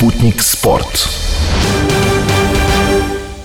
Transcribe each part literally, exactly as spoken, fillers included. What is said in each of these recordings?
Sputnik Sport.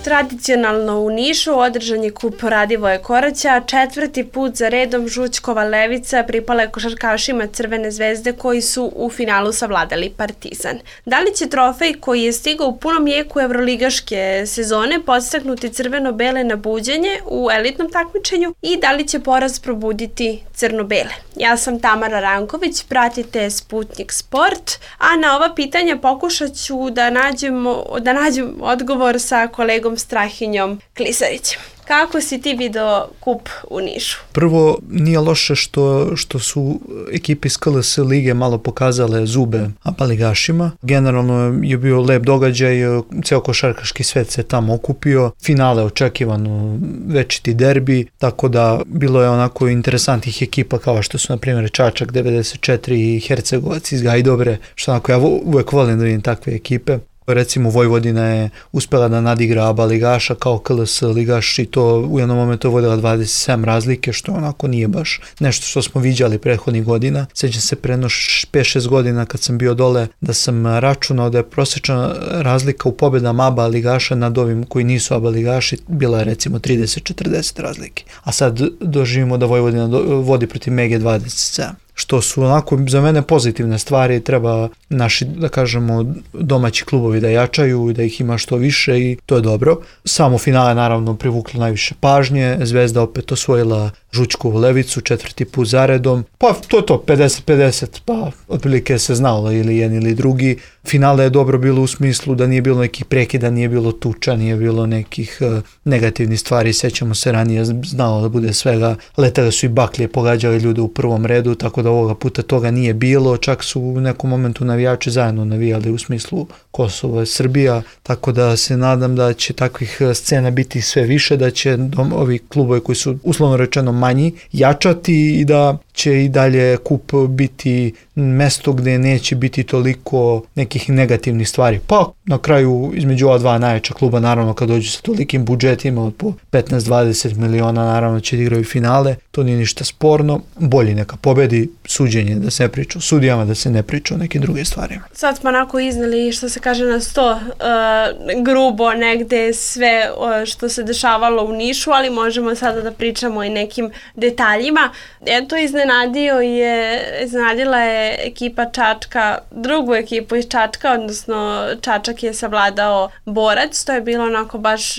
Tradicionalno u Nišu održan je kup Radivoje Koraća, četvrti put za redom Žućkova Levica pripala je košarkašima Crvene zvezde koji su u finalu savladali Partizan. Da li će trofej koji je stigao u punom jeku evroligaške sezone podstaknuti crveno-bele na buđenje u elitnom takmičenju i da li će poraz probuditi crno-bele? Ja sam Tamara Ranković, pratite Sputnik Sport, a na ova pitanja pokušat ću da nađem, da nađem odgovor sa kolegom Strahinjom Klisarićem. Kako si ti video kup u Nišu? Prvo, nije loše što, što su ekipe iz K L S lige malo pokazale zube abaligašima. Generalno je bio lep događaj, ceo košarkaški svet se tamo okupio, finale očekivano večiti derbi, tako da bilo je onako interesantnih ekipa kao što su na primjer Čačak devedeset četiri i Hercegovac iz Gajdobre, što onako ja uvek volim da vidim takve ekipe. Recimo Vojvodina je uspela da nadigra aba ligaša kao K L S ligaš i to u jednom momentu vodila dvadeset sedam razlike, što onako nije baš nešto što smo viđali prethodnih godina. Sjećam se pre pet šest godina kad sam bio dole da sam računao da je prosječna razlika u pobedama aba ligaša nad ovim koji nisu aba ligaši bila je recimo trideset četrdeset razlike. A sad doživimo da Vojvodina vodi protiv Mege dvadeset sedam. Što su onako za mene pozitivne stvari, treba naši, da kažemo, domaći klubovi da jačaju i da ih ima što više i to je dobro. Samo finale naravno privuklo najviše pažnje, Zvezda opet osvojila Žućkovu Levicu četvrti put zaredom, pa to je to, pedeset pedeset, pa otprilike se znalo ili jedan ili drugi. Finale je dobro bilo u smislu da nije bilo nekih prekida, nije bilo tuča, nije bilo nekih uh, negativnih stvari, sećamo se ranije znalo da bude svega, letale su i baklje, pogađali ljude u prvom redu, tako da ovoga puta toga nije bilo, čak su u nekom momentu navijači zajedno navijali u smislu Kosovo i Srbija, tako da se nadam da će takvih scena biti sve više, da će dom, ovi klubovi koji su uslovno rečeno manji jačati i da će i dalje kup biti mesto gde neće biti toliko nekih negativnih stvari. Pa na kraju između ova dva najjača kluba, naravno kad dođu sa tolikim budžetima od po petnaest dvadeset miliona, naravno će igraju finale, to nije ništa sporno, bolji neka pobedi, suđenje da se ne priča o sudijama, da se ne priča o nekim drugim stvarima. Sad smo onako iznali što se kaže na sto uh, grubo negde sve uh, što se dešavalo u Nišu, ali možemo sada da pričamo i nekim detaljima. Eto, iznenadio je, iznenadila je ekipa Čačka, drugu ekipu iz Čačka, odnosno Čačak je savladao Borac, to je bilo onako baš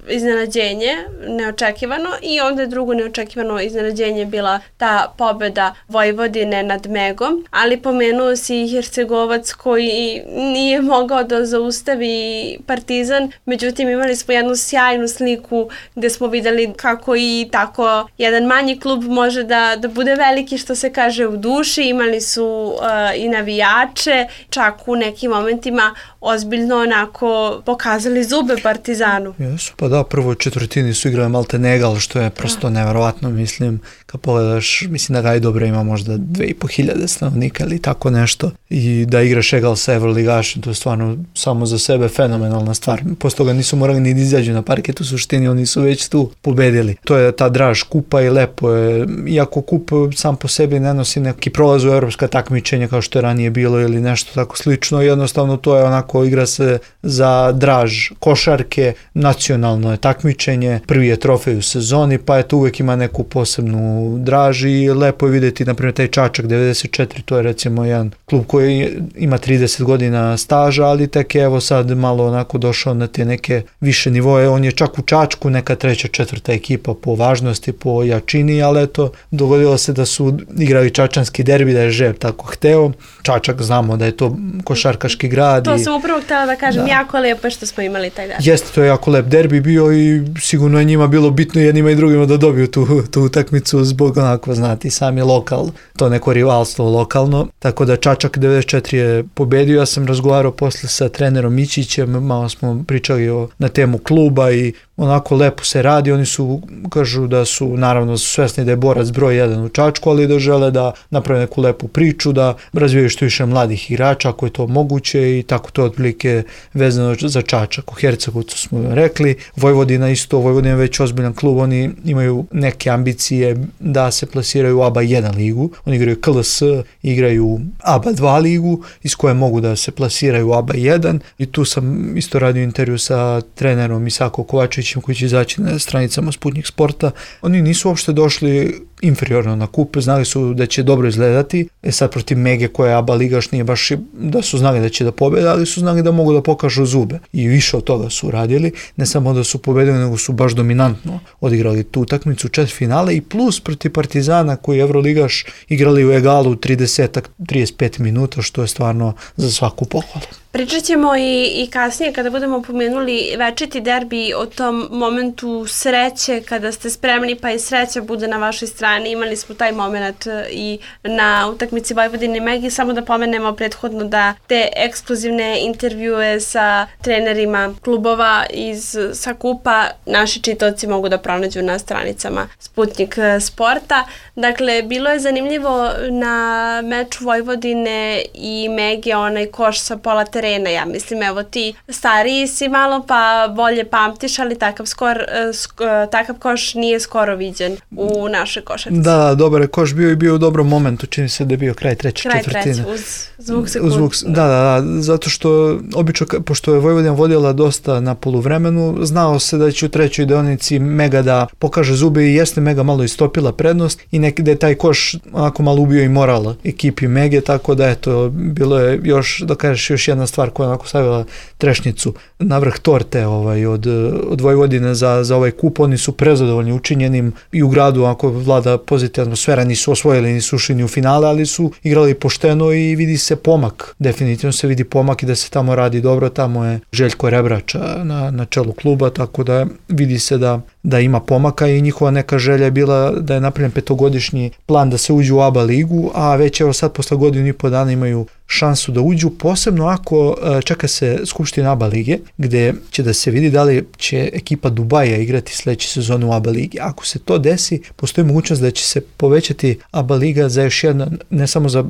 iznenađenje, neočekivano, i onda je drugo neočekivano iznenađenje bila ta pobeda Vojvodine nad Megom, ali pomenuo si i Hercegovac koji nije mogao da zaustavi Partizan, međutim imali smo jednu sjajnu sliku gde smo videli kako i tako jedan manji klub može da, da bude veliki, što se kaže, u duši. Imali su uh, i navijače, čak u nekim momentima ozbiljno onako pokazali zube Partizanu. Jesu, pa da, prvo četvrtini su igrali malte negal, što je prosto neverovatno, mislim, kad pogledaš, mislim da Gajdobra ima možda dve i po hiljade stanovnika ili tako nešto, i da igraš egal sa evroligašem, to je stvarno samo za sebe fenomenalna stvar. Posle toga nisu morali ni da izađu na parket, u suštini oni su već tu pobedili. To je ta draž kupa i lepo je, iako kup sam po sebi ne nosi neki prolaz u evropska takmičenja kao što je ranije bilo ili nešto tako slično, jednostavno to je onako, igra se za draž košarke, nacionalno je takmičenje, prvi je trofej u sezoni, pa je to uvek ima neku posebnu draž i lepo je vidjeti, na primjer, taj Čačak devedeset četiri, to je recimo jedan klub koji ima trideset godina staža, ali tek je evo sad malo onako došao na te neke više nivoje, on je čak u Čačku neka treća, četvrta ekipa po važnosti, po jačini, ali eto, dogodilo se da su igrali čačanski derbi, da je Žeb tako hteo. Čačak znamo da je to košarkaški grad. To i, sam upravo htjela da kažem, da. Jako lepo što smo imali taj derbi. Jeste, to je jako lep derbi bio i sigurno je njima bilo bitno jednima i drugima da dobiju tu, tu utakmicu zbog onako, znati, sami lokal, to neko rivalstvo lokalno. Tako da Čačak devedeset četiri je pobedio, ja sam razgovarao posle sa trenerom Mićićem, malo smo pričali o, na temu kluba i onako lepo se radi, oni su, kažu da su, naravno su svesni da je borac broj jedan u Čačku, ali da žele da naprave neku lepu priču, da razvijaju što više mladih igrača, ako je to moguće i tako to otprilike vezano za Čačak. U Hercegovcu smo rekli, Vojvodina isto, Vojvodina je već ozbiljan klub, oni imaju neke ambicije da se plasiraju u A B A jedan ligu, oni igraju K L S, igraju A B A dva ligu, iz koje mogu da se plasiraju u A B A jedan i tu sam isto radio intervju sa trenerom Isako Kovačevićem koji će izaći na stranicama Sputnik Sporta. Oni nisu uopšte došli inferiorno na kup, znali su da će dobro izgledati, e sad protiv Mege koja je A B A ligaš nije baš da su znali da će da pobede, ali su znali da mogu da pokažu zube i više od toga su radili, ne samo da su pobedili, nego su baš dominantno odigrali tu utakmicu, četvrtfinale i plus protiv Partizana koji je Evroligaš igrali u egalu trideset do trideset pet minuta, što je stvarno za svaku pohvalu. Pričat ćemo i, i kasnije kada budemo pomenuli večiti derbi o tom momentu sreće, kada ste spremni pa i sreća bude na vašoj strani. Imali smo taj moment i na utakmici Vojvodine i Megi, samo da pomenemo prethodno da te ekskluzivne intervjue sa trenerima klubova iz sa kupa naši čitaoci mogu da pronađu na stranicama Sputnik Sporta. Dakle, bilo je zanimljivo na meču Vojvodine i Mege onaj koš sa pola terena, ja mislim, evo ti stariji si malo pa bolje pamtiš, ali takav, skor, sk, takav koš nije skoro viđen u našoj košarci. Da, dobar je koš bio i bio u dobrom momentu, čini se da je bio kraj treće kraj četvrtine. Kraj treće, uz zvuk sekund. Zvuk, da, da, da, zato što obično, pošto je Vojvodina vodila dosta na poluvremenu, znao se da će u trećoj deonici Mega da pokaže zube i jeste Mega malo istopila prednost i neki da je taj koš onako malo ubio i moral ekipi Mege, tako da eto, bilo je još, da kažeš, još jedna stvar koja je onako stavila trešnjicu na vrh torte ovaj, od, od Vojvodine za, za ovaj kup. Oni su prezadovoljni učinjenim i u gradu ako vlada pozitivna atmosfera, nisu osvojili, nisu ušli ni u finale, ali su igrali pošteno i vidi se pomak. Definitivno se vidi pomak i da se tamo radi dobro. Tamo je Željko Rebrača na, na čelu kluba, tako da vidi se da da ima pomaka i njihova neka želja je bila da je napravljen petogodišnji plan da se uđu u A B A ligu, a već evo sad posle godinu i po dana imaju šansu da uđu, posebno ako čeka se skupština A B A lige, gde će da se vidi da li će ekipa Dubaja igrati sledeće sezone u A B A ligi. Ako se to desi, postoji mogućnost da će se povećati A B A liga za još jedno, ne samo za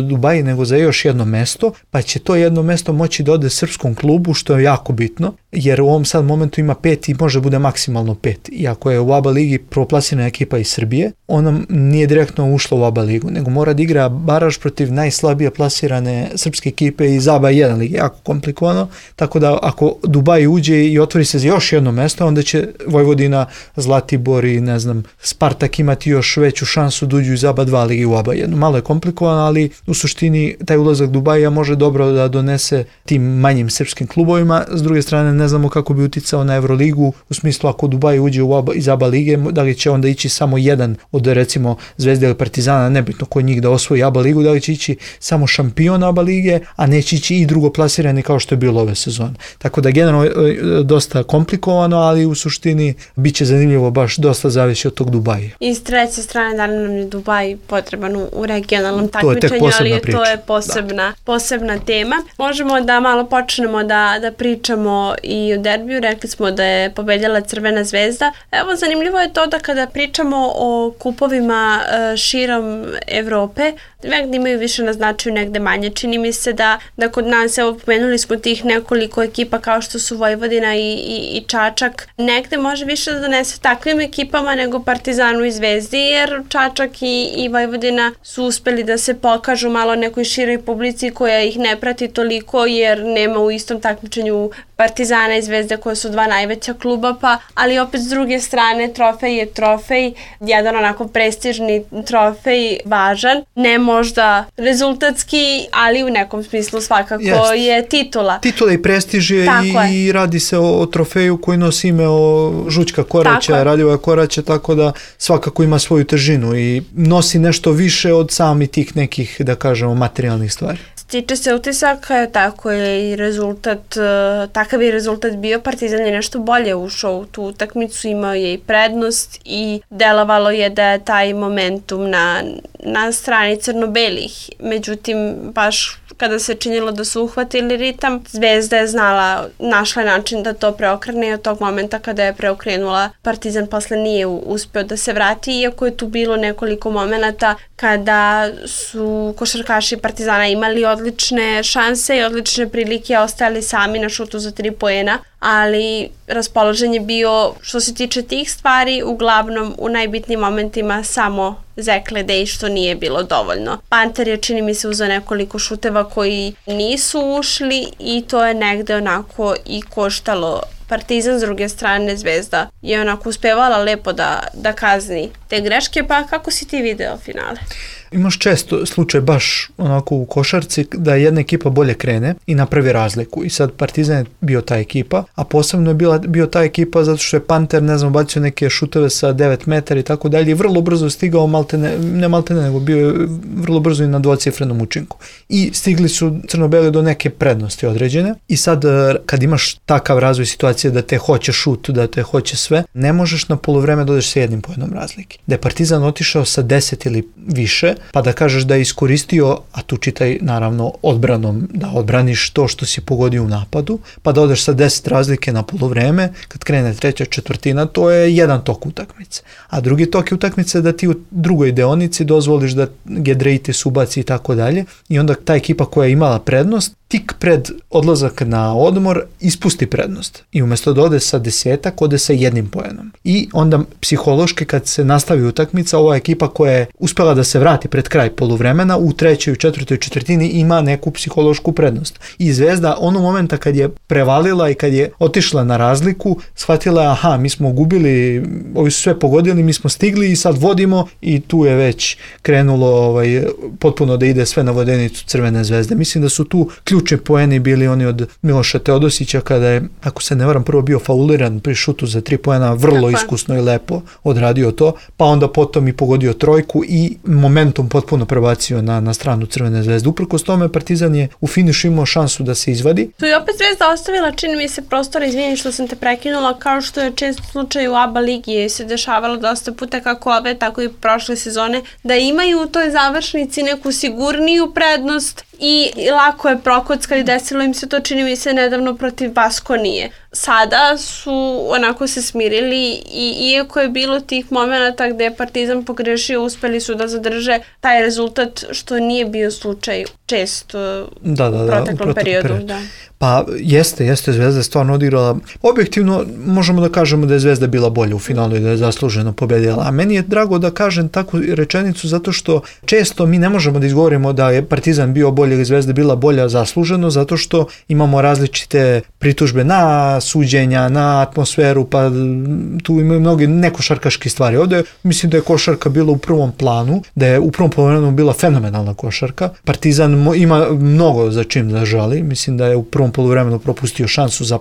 Dubaj, nego za još jedno mesto, pa će to jedno mesto moći da ode srpskom klubu, što je jako bitno, jer u ovom sad momentu ima pet i može bude maksimalno pet. I ako je u A B A ligi prvoplasirana ekipa iz Srbije, ona nije direktno ušla u A B A ligu, nego mora da igra baraž protiv najslabije plasirane srpske ekipe iz A B A jedan lige, jako komplikovano, tako da ako Dubaj uđe i otvori se za još jedno mesto, onda će Vojvodina, Zlatibor i ne znam, Spartak imati još veću šansu da uđu iz A B A dva lige u A B A jedan. Malo je komplikovano, ali u suštini taj ulazak Dubaja može dobro da donese tim manjim srpskim klubovima. S druge strane, ne znamo kako bi uticao na Evroligu, u smislu ako Dubaj uđe u A B A, iz A B A lige, da li će onda ići samo jedan od recimo Zvezde ili Partizana, nebitno ko njih da osvoji A B A ligu, da li će ići samo šampion A B A lige, a neće ići i drugoplasirani kao što je bilo ove sezone. Tako da generalno dosta komplikovano, ali u suštini bit će zanimljivo, baš dosta zavisi od tog Dubaja. I s treće strane, da li nam je Dubaj potreban u regionalnom takmičenju, ali je, to je posebna, da. posebna tema. Možemo da malo počnemo da, da pričamo i o derbiju. Rekli smo da je pobedjala Crvena zvezda. Evo, zanimljivo je to da kada pričamo o kupovima širom Evrope, negde imaju više na značaju, negde manje. Čini mi se da, da kod nas, evo, pomenuli smo tih nekoliko ekipa kao što su Vojvodina i, i, i Čačak, negde može više da donese takvim ekipama nego Partizanu i Zvezdi, jer Čačak i, i Vojvodina su uspeli da se pokažu malo nekoj široj publici koja ih ne prati toliko, jer nema u istom takmičenju Partizana i Zvezde koje su dva najveća kluba, pa, ali opet s druge strane trofej je trofej, jedan onako prestižni trofej, važan, ne možda rezultatski, ali u nekom smislu svakako Jest. je titula. Titula i prestiž je i, i radi se o, o trofeju koji nosi ime o Žućka Koraća, Radivoja Koraća, tako da svakako ima svoju težinu i nosi nešto više od samih tih nekih, da kažemo, materijalnih stvari. Tiče se utisaka, tako je i rezultat, takav je rezultat bio. Partizan je nešto bolje ušao u tu utakmicu, imao je i prednost i delovalo je da je taj momentum na, na strani crno-belih. Međutim, baš kada se činilo da su uhvatili ritam, Zvezda je znala, našla način da to preokrene i od tog momenta kada je preokrenula, Partizan posle nije uspeo da se vrati, iako je tu bilo nekoliko momenata kada su košarkaši Partizana imali odlične šanse i odlične prilike, ostajali sami na šutu za tri poena, ali raspoložen je bio, što se tiče tih stvari, uglavnom u najbitnijim momentima samo Zek Ledej, što nije bilo dovoljno. Panter je, čini mi se, uzeo nekoliko šuteva koji nisu ušli i to je negde onako i koštalo Partizan. S druge strane, Zvezda je onako uspevala lepo da, da kazni te greške, pa kako si ti video finale? Imaš često slučaj baš onako u košarci da jedna ekipa bolje krene i napravi razliku i sad Partizan je bio ta ekipa, a posebno je bila, bio ta ekipa zato što je Panter, ne znam, bacio neke šuteve sa devet metara i tako dalje i vrlo brzo stigao, maltene, ne maltene, nego bio je vrlo brzo i na dvocifrenom učinku. I stigli su crno-beli do neke prednosti određene i sad kad imaš takav razvoj situacije da te hoće šut, da te hoće sve, ne možeš na poluvreme da odeš sa jednim pojednom razlike. Da je Partizan otišao sa deset ili više, pa da kažeš da je iskoristio, a tu čitaj naravno odbranom, da odbraniš to što si pogodio u napadu, pa da odeš sa deset razlike na poluvreme, kad krene treća četvrtina, to je jedan tok utakmice. A drugi tok je utakmice da ti u drugoj deonici dozvoliš da Giedraitis ubaci i tako dalje i onda ta ekipa koja je imala prednost, tik pred odlazak na odmor ispusti prednost i umjesto da ode sa desetak, ode sa jednim poenom. I onda psihološki kad se nastavi utakmica, ova ekipa koja je uspela da se vrati pred kraj poluvremena, u trećoj i četvrtoj četvrtini ima neku psihološku prednost. I Zvezda onog momenta kad je prevalila i kad je otišla na razliku, shvatila je, aha, mi smo gubili, ovi su sve pogodili, mi smo stigli i sad vodimo i tu je već krenulo ovaj, potpuno da ide sve na vodenicu Crvene Zvezde. Mislim da su tu ključni poeni bili oni od Miloša Teodosića kada je, ako se ne varam, prvo bio fauliran pri šutu za tri poena, vrlo Tako. iskusno i lepo odradio to, pa onda potom i pogodio trojku i momentum potpuno prebacio na, na stranu Crvene Zvezde. Uprkos tome Partizan je u finišu imao šansu da se izvadi. Tu je opet Zvezda ostavila, čini mi se, prostora, izvini što sam te prekinula, kao što je često slučaj u A B A ligi se dešavalo dosta puta kako ove, tako i prošle sezone, da imaju u toj završnici neku sigurniju prednost i lako je prokockali, desilo im se to, čini mi se, nedavno protiv Baskonije. Sada su onako se smirili i iako je bilo tih momenata gde je Partizan pogrešio, uspeli su da zadrže taj rezultat, što nije bio slučaj često da, da, u proteklom da, periodu. periodu. Da. Pa jeste, jeste, Zvezda je stvarno odigrala. Objektivno možemo da kažemo da je Zvezda bila bolja u finalu i da je zasluženo pobedila. A meni je drago da kažem takvu rečenicu zato što često mi ne možemo da izgovorimo da je Partizan bio bolji ili Zvezda bila bolja zasluženo, zato što imamo različite pritužbe na suđenja, na atmosferu, pa tu imaju mnogi nekošarkaške stvari. Ovdje mislim da je košarka bila u prvom planu, da je u prvom poluvremenu bila fenomenalna košarka. Partizan ima mnogo za čim da žali, mislim da je u prvom poluvremenu propustio šansu za,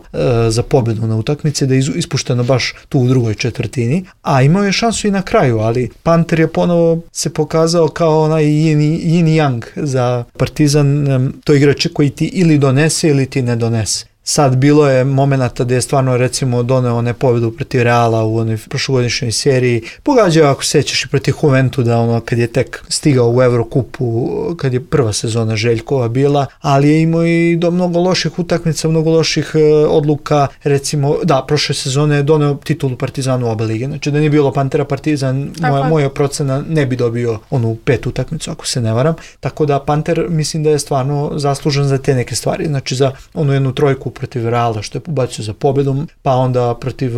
za pobedu na utakmici, da je ispušteno baš tu u drugoj četvrtini, a imao je šansu i na kraju, ali Panter je ponovo se pokazao kao onaj yin, yin yang za Partizan, to igrač koji ti ili donese ili ti ne donese. Sad bilo je momenata gdje je stvarno recimo doneo one pobedu protiv Reala u onoj prošlogodišnjoj seriji. Pogađao, ako sećaš, i protiv Juventu da ono kad je tek stigao u Evrokupu, kad je prva sezona Željkova bila, ali je imao i do mnogo loših utakmica, mnogo loših e, odluka. Recimo, da, prošle sezone je doneo titulu Partizanu u oba lige. Znači da nije bilo Pantera Partizan, moja, moja procena ne bi dobio onu petu utakmicu, ako se ne varam. Tako da Panter mislim da je stvarno zaslužen za te neke stvari. Znači za onu jednu trojku protiv Reala što je pobacio za pobedom, pa onda protiv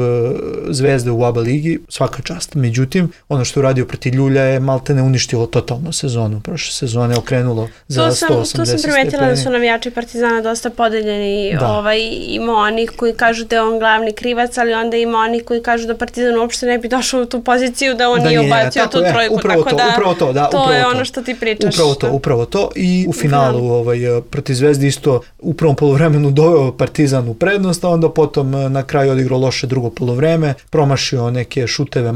Zvezde u A B A ligi, svaka čast. Međutim, ono što je uradio protiv Ljulja je maltene uništilo totalno sezonu. Prošle sezone okrenulo za to sam, sto osamdeset stepeni. To sam primetila da su navijači Partizana dosta podeljeni. Ovaj, ima onih koji kažu da je on glavni krivac, ali onda ima onih koji kažu da Partizan uopšte ne bi došao u tu poziciju da on da nije ubacio tu je, trojku. Upravo tako to, da upravo to, da, to upravo je to. ono što ti pričaš. Upravo to, upravo to. I u finalu ovaj, protiv Zvezde isto u prvom poluvremenu doveo Partizan u prednost, a onda potom na kraju odigrao loše drugo poluvreme, promašio neke šuteve,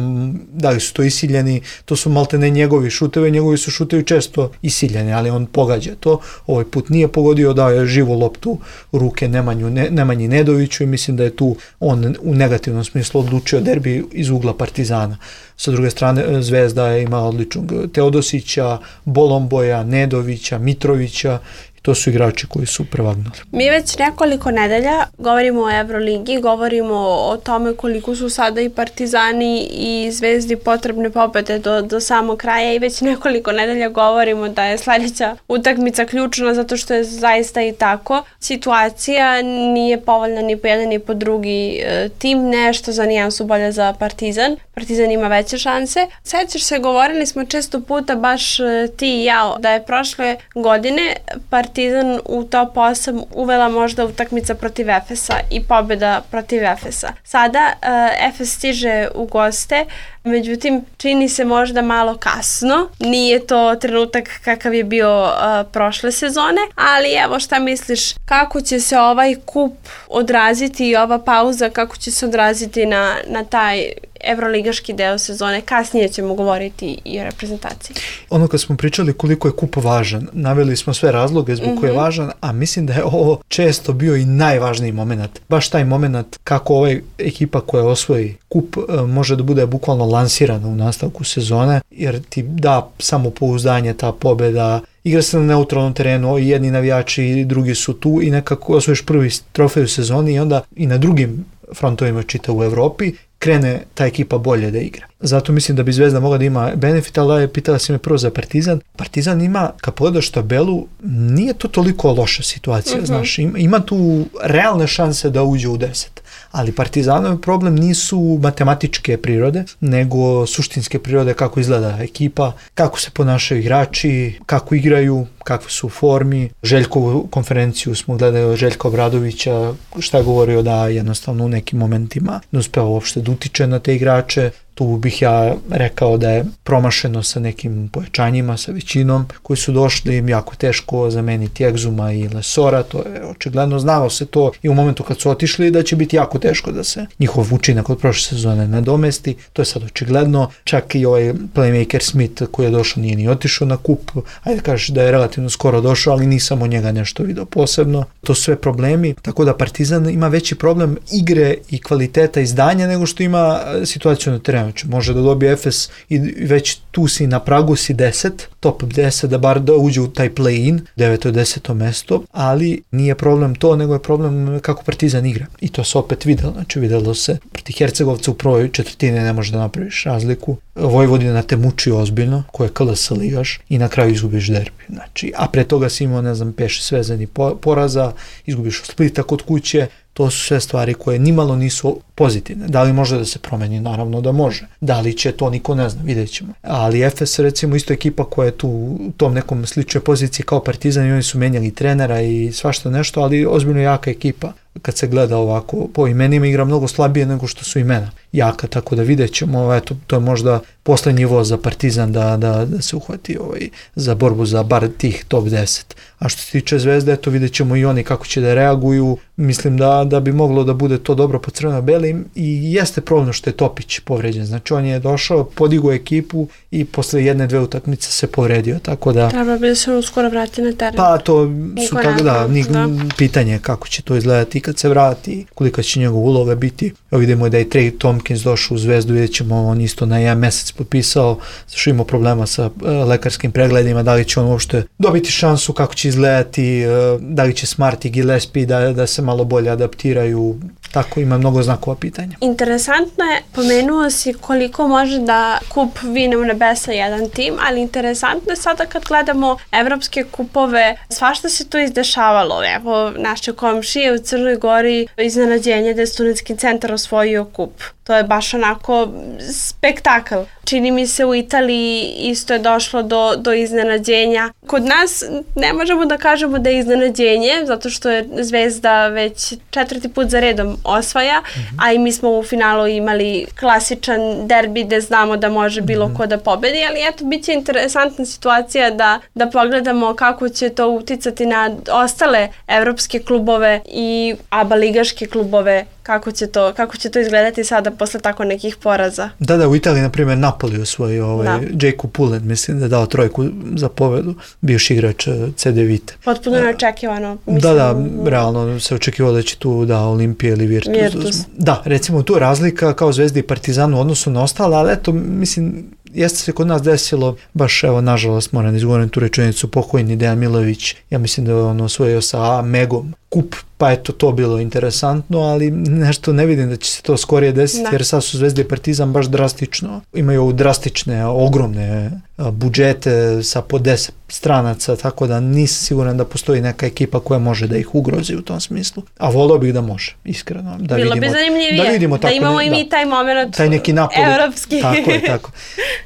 da li su to isiljeni, to su maltene njegovi šuteve, njegovi su šutevi često isiljeni, ali on pogađa to, ovaj put nije pogodio, dao je živu loptu u ruke Nemanju, ne, Nemanji Nedoviću i mislim da je tu on u negativnom smislu odlučio derbi iz ugla Partizana. Sa druge strane, Zvezda je imala odličnog Teodosića, Bolomboja, Nedovića, Mitrovića. to su igrači koji su prevagnuli. Mi već nekoliko nedelja govorimo o Euroligi, govorimo o tome koliko su sada i Partizani i Zvezdi potrebne pobede do, do samog kraja i već nekoliko nedelja govorimo da je sledeća utakmica ključna zato što je zaista i tako. Situacija nije povoljna ni po jedan ni po drugi e, tim, nešto za nijansu bolje za Partizan. Partizan ima veće šanse. Sećaš se, govorili smo često puta baš e, ti i ja da je prošle godine Partizan u top osam uvela možda utakmica protiv Efesa i pobjeda protiv Efesa. Sada uh, Efes stiže u goste, međutim čini se možda malo kasno, nije to trenutak kakav je bio uh, prošle sezone, ali evo šta misliš, kako će se ovaj kup odraziti i ova pauza, kako će se odraziti na, na taj evroligaški deo sezone? Kasnije ćemo govoriti i o reprezentaciji. Ono kad smo pričali koliko je kup važan, naveli smo sve razloge zbog mm-hmm. koje je važan, a mislim da je ovo često bio i najvažniji moment. Baš taj moment kako ova ekipa koja osvoji kup može da bude bukvalno lansirana u nastavku sezone, jer ti da samopouzdanje, ta pobjeda, igra se na neutralnom terenu, i jedni navijači i drugi su tu i nekako osvojiš prvi trofej u sezoni i onda i na drugim frontovima čita u Evropi krene ta ekipa bolje da igra. Zato mislim da bi Zvezda mogla da ima benefit, ali je pitala si me prvo za Partizan. Partizan ima, kad pogledaš tabelu, nije to toliko loša situacija, uh-huh. znaš, ima, ima tu realne šanse da uđe u deset. Ali Partizanov problem nisu matematičke prirode, nego suštinske prirode, kako izgleda ekipa, kako se ponašaju igrači, kako igraju, kakve su u formi. Željkovu konferenciju smo gledali, Željka Obradovića, šta je govorio da jednostavno u nekim momentima ne uspeva uopšte da utiče na te igrače. Tu bih ja rekao da je promašeno sa nekim pojačanjima, sa većinom koji su došli, im jako teško zameniti Egzuma i Lesora, to je očigledno, znalo se to i u momentu kad su otišli da će biti jako teško da se njihov učinak od prošle sezone nadomesti, to je sad očigledno, čak i ovaj playmaker Smith koji je došao nije ni otišao na kup, ajde kažeš da je relativno skoro došao, ali nisam od njega nešto vidio posebno, to su sve problemi, tako da Partizan ima veći problem igre i kvaliteta izdanja nego što ima situaciju na terenu. Može da dobije Efes i već tu si na pragu si deset, top deset, da bar da uđe u taj play-in, deveto i deseto mesto, ali nije problem to, nego je problem kako Partizan igra. I to se opet videlo, znači videlo se proti Hercegovca u prvoj četvrtini ne može da napraviš razliku. Vojvodina te muči ozbiljno, ko je K L S ligaš i na kraju izgubiš derbi. Znači, a pre toga si imao, ne znam, peš svezani poraza, izgubiš od Splita kod kuće. To su sve stvari koje nimalo nisu pozitivne. Da li može da se promeni? Naravno da može. Da li će to, niko ne zna, vidjet ćemo. Ali Efes, recimo, isto ekipa koja je tu u tom nekom sličnoj poziciji kao Partizan i oni su menjali trenera i svašta nešto, ali ozbiljno jaka ekipa. Kad se gleda ovako, po imenima igra mnogo slabije nego što su imena jaka, tako da vidjet ćemo, eto, to je možda poslednji voz za Partizan da, da, da se uhvati ovaj, za borbu za bar tih top deset. A što se tiče Zvezde, eto, vidjet ćemo i oni kako će da reaguju, mislim da, da bi moglo da bude to dobro po crveno-belim i jeste problem što je Topić povređen, znači on je došao, podigao ekipu i posle jedne, dve utakmice se povredio, tako da... Treba bi da se uskoro vrati na teren. Pa to su tako da, ni, da, pitanje kako će to izgledati kad se vrati, kolika će njegov uloga biti. Evo vidimo da je Trey Tompkins došao u Zvezdu, vidjet ćemo, on isto na jedan mesec potpisao, zašto imao problema sa uh, lekarskim pregledima, da li će on uopšte dobiti šansu, kako će izgledati, uh, da li će Smart i Gillespie da, da se malo bolje adaptiraju, tako ima mnogo znakova pitanja. Interesantno je, pomenuo si koliko može da kup vine u nebesa jedan tim, ali interesantno je sada kad gledamo evropske kupove, svašta se to izdešavalo. Evo, naše komšije u Crnoj Gori, iznenađenje da je Studentski centar osvojio kup. To je baš onako spektakl. Čini mi se u Italiji isto je došlo do, do iznenađenja. Kod nas ne možemo da kažemo da je iznenađenje, zato što je Zvezda već četvrti put za redom osvaja, mm-hmm. a i mi smo u finalu imali klasičan derbi gde znamo da može bilo mm-hmm. ko da pobedi, ali eto, bit će interesantna situacija da, da pogledamo kako će to uticati na ostale evropske klubove i aba ligaške klubove, kako će to, kako će to izgledati sada posle tako nekih poraza. Da, da, u Italiji, na primjer, Napoli osvoji ovaj, Jacob Pullen, mislim da je dao trojku za pobedu, bivši igrač C D Vite. Potpuno neočekivano. Mislim, da, da, realno se očekivalo da će tu da Olimpija ili Virtus. Virtus. Da, recimo tu razlika kao Zvezda i Partizan u odnosu na ostale, ali eto, mislim, Jeste se kod nas desilo, baš evo, nažalost, moram da izgovorim tu rečenicu, pokojni Dejan Milović, ja mislim da je on osvojio sa Megom kup, pa eto to bilo interesantno, ali nešto ne vidim da će se to skorije desiti, da. Jer sad su Zvezda i Partizan baš drastično, imaju drastične, ogromne budžete sa po deset stranaca, tako da nisam siguran da postoji neka ekipa koja može da ih ugrozi u tom smislu. A volio bih da može, iskreno. Da bilo vidimo, bi zanimljivije, da, vidimo da imamo ne, i mi da, taj moment taj neki napoli, evropski. Tako je, tako.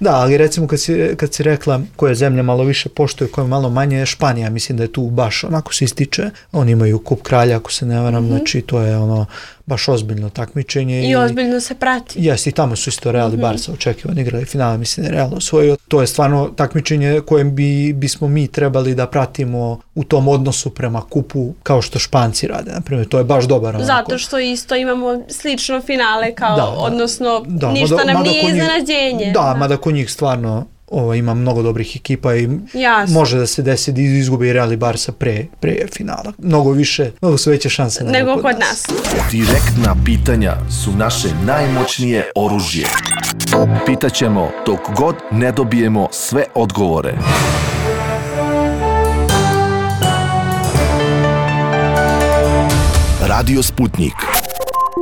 Da, ali recimo kad si, kad si rekla koje zemlje malo više poštuju, koje malo manje, Španija, mislim da je tu baš onako se ističe. Oni imaju kup kralja, ako se ne varam, mm-hmm. znači to je ono baš ozbiljno takmičenje. I, I ozbiljno se prati. Jeste, i tamo su isto Real i mm-hmm. Barca očekivani igrali finale, mislim da je Real osvojio. To je stvarno takmičenje kojem bi, bismo mi trebali da pratimo u tom odnosu prema kupu kao što Španci rade. Naprimjer, to je baš dobar onako. Zato što isto imamo slično finale kao, da, odnosno da, ništa mada, nam mada nije iznenađenje. Da, da, mada kod njih stvarno ovo, ima mnogo dobrih ekipa i Jasno. Može da se desi da izgubi Real i Barca pre, pre finala. Mnogo više, mnogo su veće šanse nego, nego kod, kod nas. nas. Direktna pitanja su naše najmoćnije oružje. Pitaćemo dok god ne dobijemo sve odgovore. Radio Sputnik.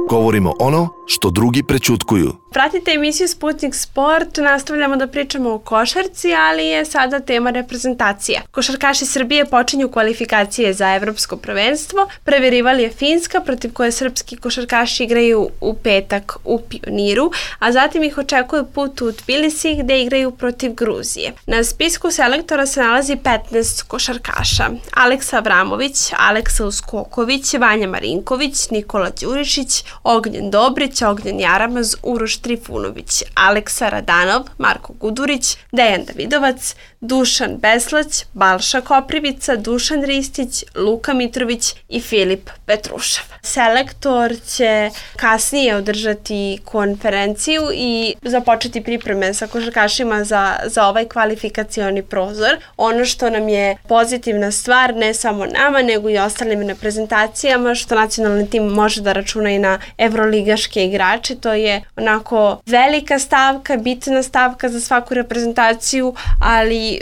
Govorimo ono što drugi prećutkuju. Pratite emisiju Sputnik Sport, nastavljamo da pričamo o košarci, ali je sada tema reprezentacija. Košarkaši Srbije počinju kvalifikacije za evropsko prvenstvo. Prvi rival je Finska, protiv koje srpski košarkaši igraju u petak u Pioniru, a zatim ih očekuje put u Tbilisi gde igraju protiv Gruzije. Na spisku selektora se nalazi petnaest košarkaša. Aleksa Avramović, Aleksa Uskoković, Vanja Marinković, Nikola Đurišić, Ognjen Dobrić, Ognjen Jaramaz, Uroš Trifunović, Aleksa Radanov, Marko Gudurić, Dejan Davidovac, Dušan Beslać, Balša Koprivica, Dušan Ristić, Luka Mitrović i Filip Petrušev. Selektor će kasnije održati konferenciju i započeti pripreme sa košarkašima za, za ovaj kvalifikacioni prozor. Ono što nam je pozitivna stvar, ne samo nama, nego i ostalim reprezentacijama, što nacionalni tim može da računa i na evroligaške igrače. To je onako velika stavka, bitna stavka za svaku reprezentaciju, ali e,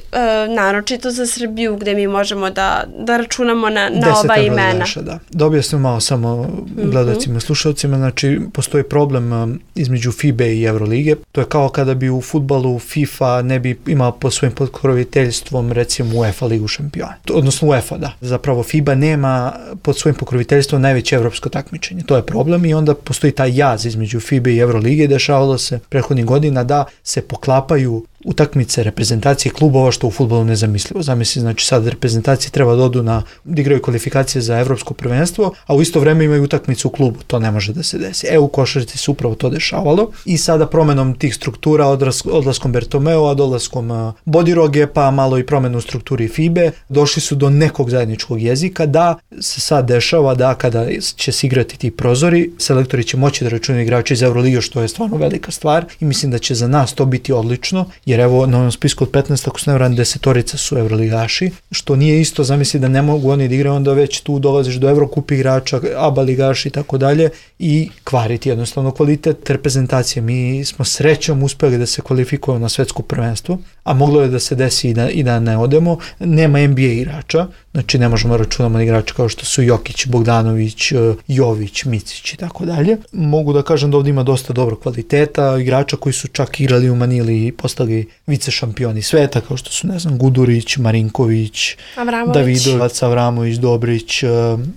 naročito za Srbiju gde mi možemo da, da računamo na, na ova imena. Deset da. Da objasnim malo samo mm-hmm. gledalcima i slušalcima, znači postoji problem um, između FIBE i Evrolige. To je kao kada bi u fudbalu FIFA ne bi imao pod svojim pokroviteljstvom recimo UEFA ligu šampiona. Odnosno UEFA, da. Zapravo FIBA nema pod svojim pokroviteljstvom najveće evropsko takmičenje. To je problem i onda postoji taj jaz između FIBE i Evrolige. Dešavalo se prethodnih godina da se poklapaju utakmice reprezentacije klubova što u fudbalu nezamislivo. Zamisli, znači sad reprezentacije treba da odu na, da igraju kvalifikacije za evropsko prvenstvo, a u isto vreme imaju utakmicu u klubu. To ne može da se desi. E, u košarci se upravo to dešavalo i sada promenom tih struktura, odlaskom Bertomeu, dolaskom Bodiroge, pa malo i promenu strukturi FIBE, došli su do nekog zajedničkog jezika da se sad dešava da kada će se igrati ti prozori, selektori će moći da računaju igrače iz Euroliga, što je stvarno velika stvar i mislim da će za nas to biti odlično, jer evo na ovom spisku od petnaest, ako se ne varam, desetorica su evroligaši, što nije isto, zamisli da ne mogu oni da igraju, onda već tu dolaziš do Evrokup igrača, aba ligaši i tako dalje i kvariti jednostavno kvalitet reprezentacije. Mi smo srećom uspeli da se kvalifikujemo na svetsko prvenstvo, a moglo je da se desi i da, i da ne odemo. Nema N B A igrača, znači ne možemo računati na igrače kao što su Jokić, Bogdanović, Jović, Micić i tako dalje. Mogu da kažem da ovdje ima dosta dobro kvaliteta, igrača koji su čak igrali u Manili i postali vice šampioni sveta, kao što su, ne znam, Gudurić, Marinković, Avramović. Davidovac, Avramović, Dobrić,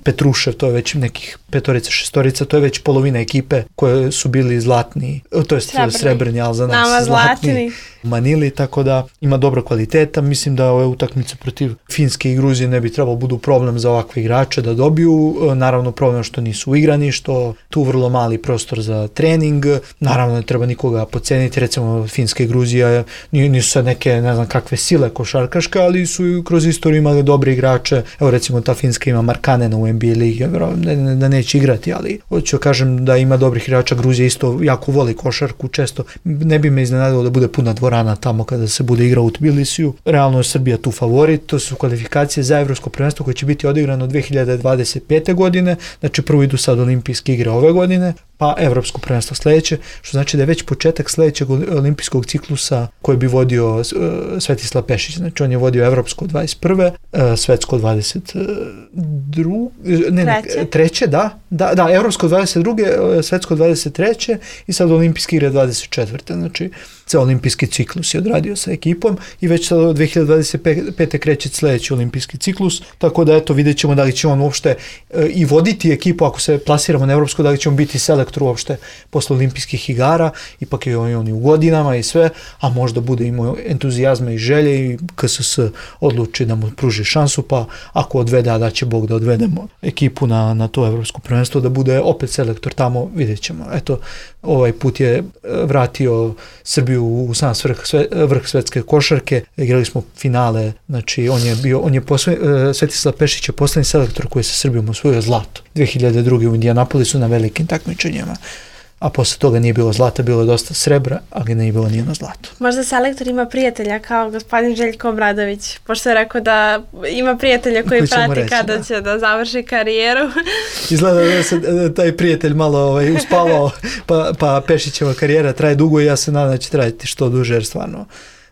Petrušev, to je već nekih petorica, šestorica, to je već polovina ekipe koje su bili zlatni, to je srebrni, srebrni ali za nas Nama zlatni. zlatni. U Manili, tako da ima dobro kvaliteta. Mislim da ove utakmice protiv Finske i Gruzije ne bi trebalo budu problem za ovakve igrače da dobiju. Naravno problem što nisu igrani, što tu vrlo mali prostor za trening. Naravno ne treba nikoga podceniti, recimo Finska i Gruzija nisu sad neke ne znam kakve sile košarkaške, ali su kroz istoriju imali dobre igrače. Evo recimo ta Finska ima Markanena u N B A ligi, da, da neće igrati, ali hoću kažem da ima dobrih igrača. Gruzija isto jako voli košarku, često ne bi me iznenadilo da bude puna dvorišta dvorana tamo kada se bude igrao u Tbilisiju. Realno je Srbija tu favorit, to su kvalifikacije za evropsko prvenstvo koje će biti odigrano dve hiljade dvadeset pete. godine, znači prvo idu sad olimpijske igre ove godine, pa evropsko prvenstvo sledeće, što znači da je već početak sledećeg olimpijskog ciklusa koji bi vodio uh, Svetislav Pešić. Znači on je vodio evropsko dvadeset prve. Uh, svetsko dvadeset druge. Ne, ne, treće. treće, da. Da, da, evropsko dvadeset druge. Svetsko dvadeset treće. i sad olimpijske igre dvadeset četvrte. Znači ceo olimpijski ciklus je odradio sa ekipom i već sad od dve hiljade dvadeset pete. kreće sledeći olimpijski ciklus, tako da eto vidjet ćemo da li će on uopšte uh, i voditi ekipu ako se plasiramo na evropsko, da li će on biti selektor uopšte posle olimpijskih igara, ipak je on, on i u godinama i sve, a možda bude imao entuzijazma i želje i K S S odluči da mu pruži šansu, pa ako odvede, a da će Bog da odvedemo ekipu na, na to evropsko prvenstvo, da bude opet selektor tamo, vidjet ćemo. Eto, ovaj put je vratio Srbiju u sam vrh, sve, vrh svetske košarke, igrali smo finale, znači on je bio, on je posle, Svetislav Pešić je poslednji selektor koji je sa Srbijom osvojio zlato dve hiljade druge. u Indianapolisu na velikim takmičenjima, a posle toga nije bilo zlata, bilo je dosta srebra, ali nije bilo nijedno zlato. Možda selektor ima prijatelja kao gospodin Željko Obradović, pošto je rekao da ima prijatelja koji, koji prati reći, kada da. će da završi karijeru. Izgleda da se taj prijatelj malo ovaj, uspavao, pa, pa Pešićeva karijera traje dugo i ja se nadam da će trajati što duže, jer stvarno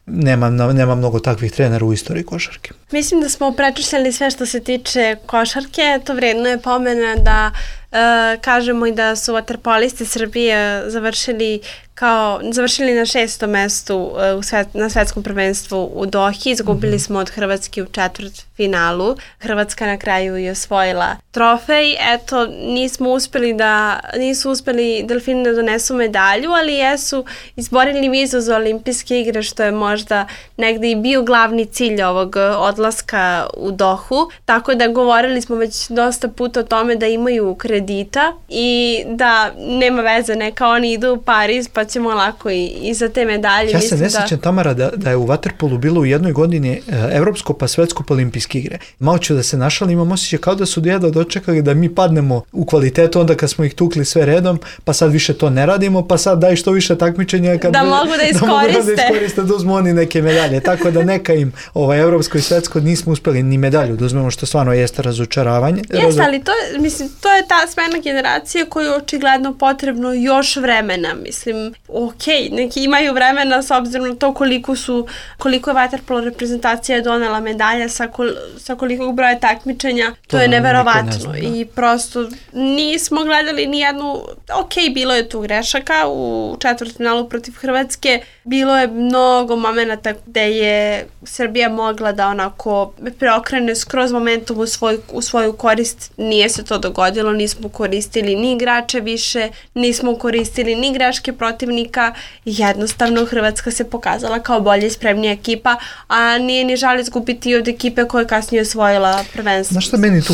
nema, nema mnogo takvih trenera u istoriji košarke. Mislim da smo prečešljali sve što se tiče košarke, to vredno je pomena da e, kažemo i da su vaterpolisti Srbije završili kao završili na šestom mestu u svet, na svetskom prvenstvu u Dohi. Izgubili mm-hmm. smo od Hrvatske u četvrt finalu. Hrvatska na kraju je osvojila trofej. Eto, nismo uspeli da, nisu uspeli Delfini da donesu medalju, ali jesu izborili vizu za olimpijske igre, što je možda negde i bio glavni cilj ovog odlaska u Dohu. Tako da govorili smo već dosta puta o tome da imaju kredita i da nema veze, neka oni idu u Pariz pa ćemo lako i, i za te medalje. Ja se ne sjećam, da... Tamara, da, da je u vaterpolu bilo u jednoj godini evropsko pa svetsko pa olimpijske igre. Malo ću da se našali, imam osjećaj kao da su jedva dočekali da mi padnemo u kvalitetu onda kad smo ih tukli sve redom, pa sad više to ne radimo, pa sad daj što više takmičenja kad da mogu da iskoriste. Da mogu da iskoriste, da uzmu oni neke medalje. Tako da neka im ovaj, evropsko i svetsko nismo uspeli ni medalju da uzmemo, što stvarno jeste razočaravanje. Jeste, Razo... ali to, mislim, to je ta smena generacija koju je očigledno potrebno još vremena, mislim. Ok, neki imaju vremena s obzirom na to koliko su, koliko je vaterpolo reprezentacija donela medalja sa, kol, sa kolikog broja takmičenja, to, to je neverovatno ne znam, da. I prosto nismo gledali ni jednu, ok, bilo je tu grešaka u četvrtfinalu protiv Hrvatske, bilo je mnogo momenata gde je Srbija mogla da onako preokrene skroz momentum u, svoj, u svoju korist, nije se to dogodilo, nismo koristili ni igrače više, nismo koristili ni greške protivnika, jednostavno Hrvatska se pokazala kao bolja i spremnija ekipa, a nije ni žal izgubiti od ekipe koja je kasnije osvojila prvenstvo. Znaš šta meni tu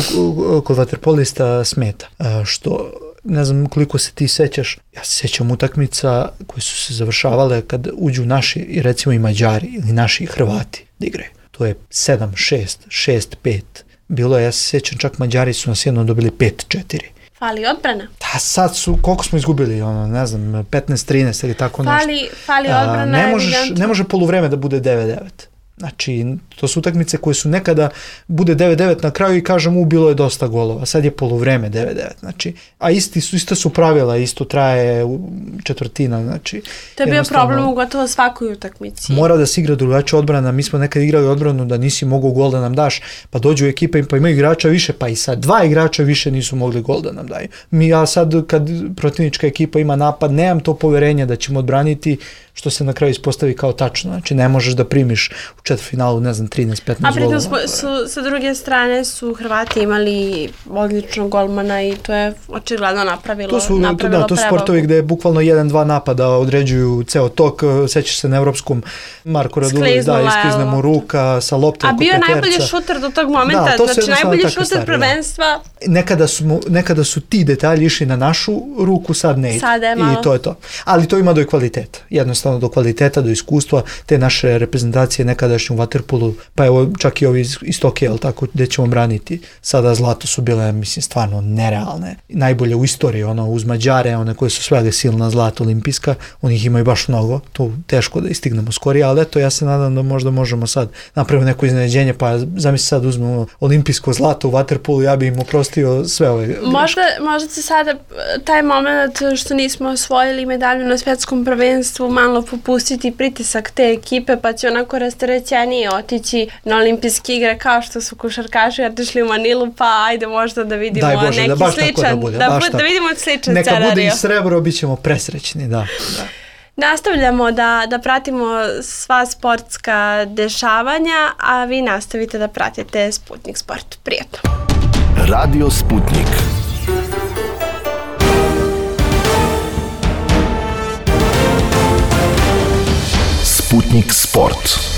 kod vaterpolista smeta? Što, ne znam koliko se ti sećaš, ja se sećam utakmica koje su se završavale kad uđu naši i recimo i Mađari ili naši Hrvati da igraju. To je sedam šest, šest pet. Bilo je, ja se sećam, čak Mađari su nas jedno dobili pet četiri. Fali odbrana. Da, sad su, koliko smo izgubili, ono, ne znam, petnaest trinaest ili tako nešto. Fali, fali odbrana, A, ne možeš, ne može poluvreme da bude devet devet. Znači, to su utakmice koje su nekada bude devet devet na kraju i kažem u bilo je dosta golova, sad je poluvreme devet devet. Znači, a isti su, isto su pravila, isto traje četvrtina. Znači, to je bio problem u gotovo svakoj utakmici. Mora da se igra drugačija odbrana, mi smo nekad igrali odbranu da nisi mogao gol da nam daš, pa dođu ekipa pa imaju igrača više, pa i sad dva igrača više nisu mogli gol da nam daju. Mi, ja sad kad protivnička ekipa ima napad, nemam to poverenje da ćemo odbraniti, što se na kraju ispostavi kao tačno. Znači, ne možeš da primiš u četvrtfinalu, ne znam, trinaest petnaest golova. A pritom su, sa druge strane su Hrvati imali odličnog golmana i to je očigledno napravilo, to su, napravilo da, to su sportovi gde bukvalno jedan dva napada određuju ceo tok. Sećaš se na evropskom Marko Radulović, da, isklizne mu ruka sa loptom. A bio je najbolji šuter do tog momenta, da, znači najbolji šuter stvari, prvenstva. Da. Nekada, su, nekada su ti detalji išli na našu ruku, sad ne ide. Sad je malo. I to je to. Ali to ima do kvaliteta. Jednostavno do kvaliteta, do iskustva. Te naše reprezentacije nekada nekadašnjem vaterpolu, pa evo čak i ovi iz, iz Tokija, jel tako, gde ćemo braniti. Sada zlato su bile, mislim, stvarno nerealne. Najbolje u istoriji, ono, uz Mađare, one koje su svega silna zlata olimpijska, oni ih imaju baš mnogo, to teško da istignemo skorije, ali eto, ja se nadam da možda možemo sad napraviti neko iznenađenje, pa zamisli sad uzmemo olimpijsko zlato u vaterpolu, ja bi im oprostio sve ove greške. Možda, možda se sada taj moment što nismo osvojili medalju na svetskom prvenstvu malo popustiti pritisak te ekipe, pa će onako rasterećenije otići na olimpijske igre kao što su košarkaši otišli u Manilu, pa ajde možda da vidimo Daj Bože, neki da baš sličan, tako da bude, da, baš da vidimo sličan Neka scenario. bude i srebro, bit ćemo presrećni, da. da. Nastavljamo da, da pratimo sva sportska dešavanja, a vi nastavite da pratite Sputnik Sport. Prijetno. Radio Sputnik. Sputnik Sport.